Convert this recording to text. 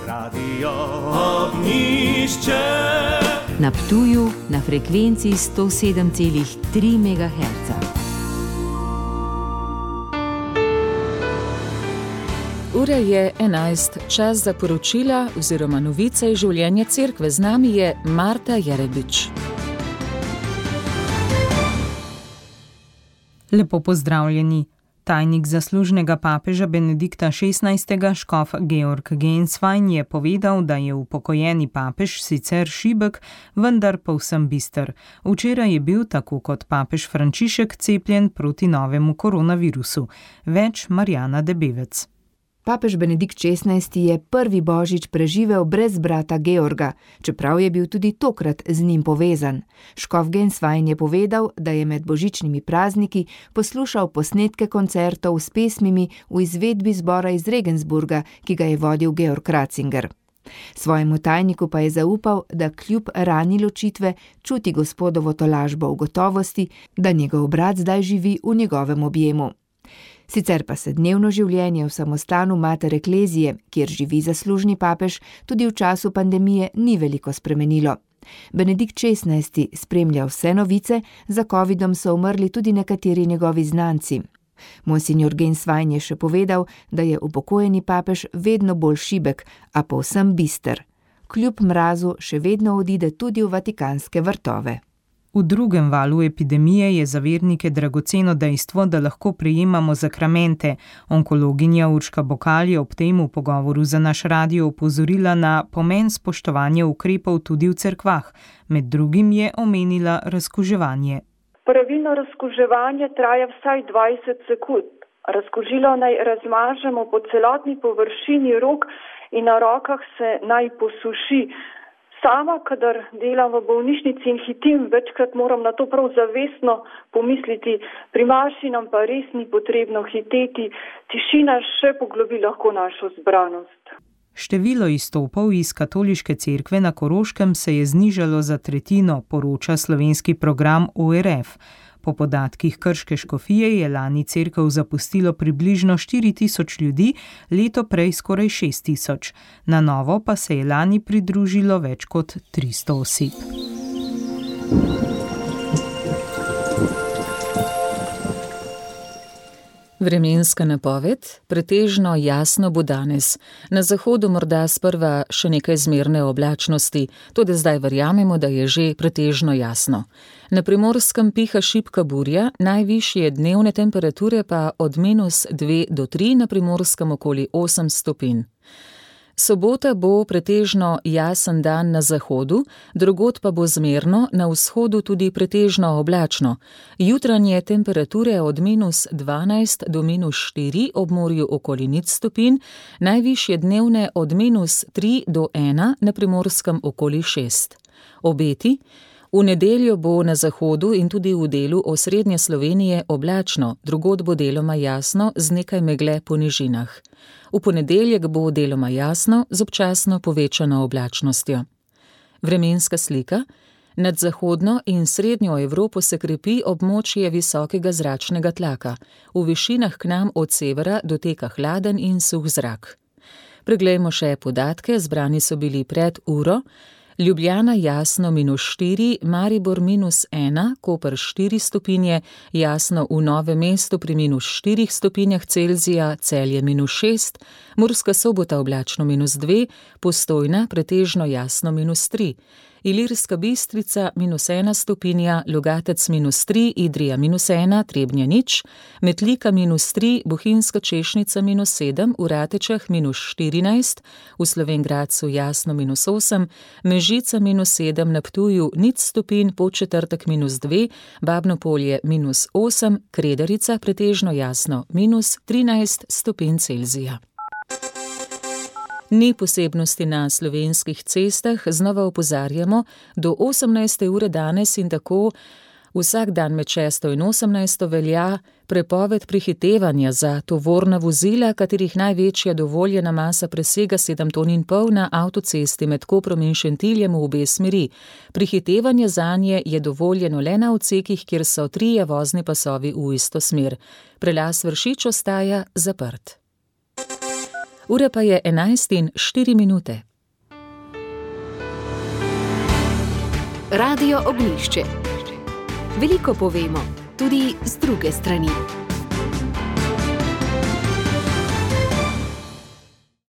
Radio Ognjišče. Na Ptuju na frekvenci 107,3 MHz. Ura je 11, čas za poročila oziroma novice iz življenja cerkve. Z nami je Marta Jerebič. Lepo pozdravljeni. Tajnik zaslužnega papeža Benedikta XVI. Škof Georg Genswein je povedal, da je upokojeni papež sicer šibek, vendar povsem bister. Včeraj je bil, tako kot papež Frančišek, cepljen proti novemu koronavirusu. Več Marjana Debevec. Papež Benedikt XVI. Je prvi božič preživel brez brata Georga, čeprav je bil tudi tokrat z njim povezan. Škof Genswein je povedal, da je med božičnimi prazniki poslušal posnetke koncertov s pesmimi v izvedbi zbora iz Regensburga, ki ga je vodil Georg Ratzinger. Svojemu tajniku pa je zaupal, da kljub rani ločitve čuti gospodovo tolažbo v gotovosti, da njegov brat zdaj živi v njegovem objemu. Sicer pa se dnevno življenje v samostanu Mater Eklezije, kjer živi zaslužni papež, tudi v času pandemije ni veliko spremenilo. Benedikt XVI. Spremlja vse novice, za covidom so umrli tudi nekateri njegovi znanci. Monsignor Genswein je še povedal, da je upokojeni papež vedno bolj šibek, a povsem bister. Kljub mrazu še vedno odide tudi v vatikanske vrtove. V drugem valu epidemije je za vernike dragoceno dejstvo, da lahko prejemamo zakramente. Onkologinja Urška Bokal je ob tem v pogovoru za naš radio opozorila na pomen spoštovanja ukrepov tudi v cerkvah. Med drugim je omenila razkuževanje. Pravilno razkuževanje traja vsaj 20 sekund. Razkužilo naj razmažemo po celotni površini rok in na rokah se naj posuši. Sama, kadar delam v bolnišnici in hitim, večkrat moram na to prav zavestno pomisliti, pri maši nam pa res ni potrebno hiteti, tišina še poglobi lahko našo zbranost. Število izstopov iz katoliške cerkve na Koroškem se je znižalo za tretjino, poroča slovenski program ORF. Po podatkih krške škofije je lani cerkev zapustilo približno 4.000 ljudi, leto prej skoraj 6.000. Na novo pa se je lani pridružilo več kot 300 oseb. Vremenska napoved, pretežno jasno bo danes. Na zahodu morda sprva še nekaj zmerne oblačnosti, tudi zdaj verjamemo, da je že pretežno jasno. Na Primorskem piha šibka burja, najvišje dnevne temperature pa od -2 do 3, na Primorskem okoli 8 stopinj. Sobota bo pretežno jasen dan na zahodu, drugod pa bo zmerno, na vzhodu tudi pretežno oblačno. Jutranje temperature od -12 do -4, ob morju okoli 0 stopinj, najvišje dnevne od -3 do 1, na Primorskem okoli 6. Obeti: v nedeljo bo na zahodu in tudi v delu osrednje Slovenije oblačno, drugod bo deloma jasno z nekaj megle po nižinah. V ponedeljek bo deloma jasno z občasno povečano oblačnostjo. Vremenska slika: nad zahodno in srednjo Evropo se krepi območje visokega zračnega tlaka. V višinah k nam od severa doteka hladen in suh zrak. Preglejmo še podatke, zbrani so bili pred uro. Ljubljana jasno -4, Maribor -1, Koper 4 stopinje, jasno v Novem mestu pri -4 stopinjah Celzija, Celje -6, Murska Sobota oblačno -2, Postojna pretežno jasno -3, Ilirska Bistrica -1 stopinja, Logatec -3, Idrija -1, Trebnje 0, Metlika -3, Bohinjska Češnica -7, v Ratečah -14, v Slovenj Gradcu jasno -8, Mežica -7, na Ptuju 0 stopinj, Podčetrtek -2, Babno Polje -8, Kredarica pretežno jasno -13 stopinj Celzija. Ni posebnosti na slovenskih cestah, znova opozarjamo, do 18. ure danes in tako vsak dan med 6. in 18. velja prepoved prehitevanja za tovorna vozila, katerih največja dovoljena masa presega 7,5 ton na avtocesti med Koprom in Šentiljem v obe smeri. Prehitevanje zanje je dovoljeno le na odsekih, kjer so 3 vozni pasovi v isto smer. Prelaz Vršič ostaja zaprt. Ura pa je 11:04. Radio Ognjišče. Veliko povemo, tudi z druge strani.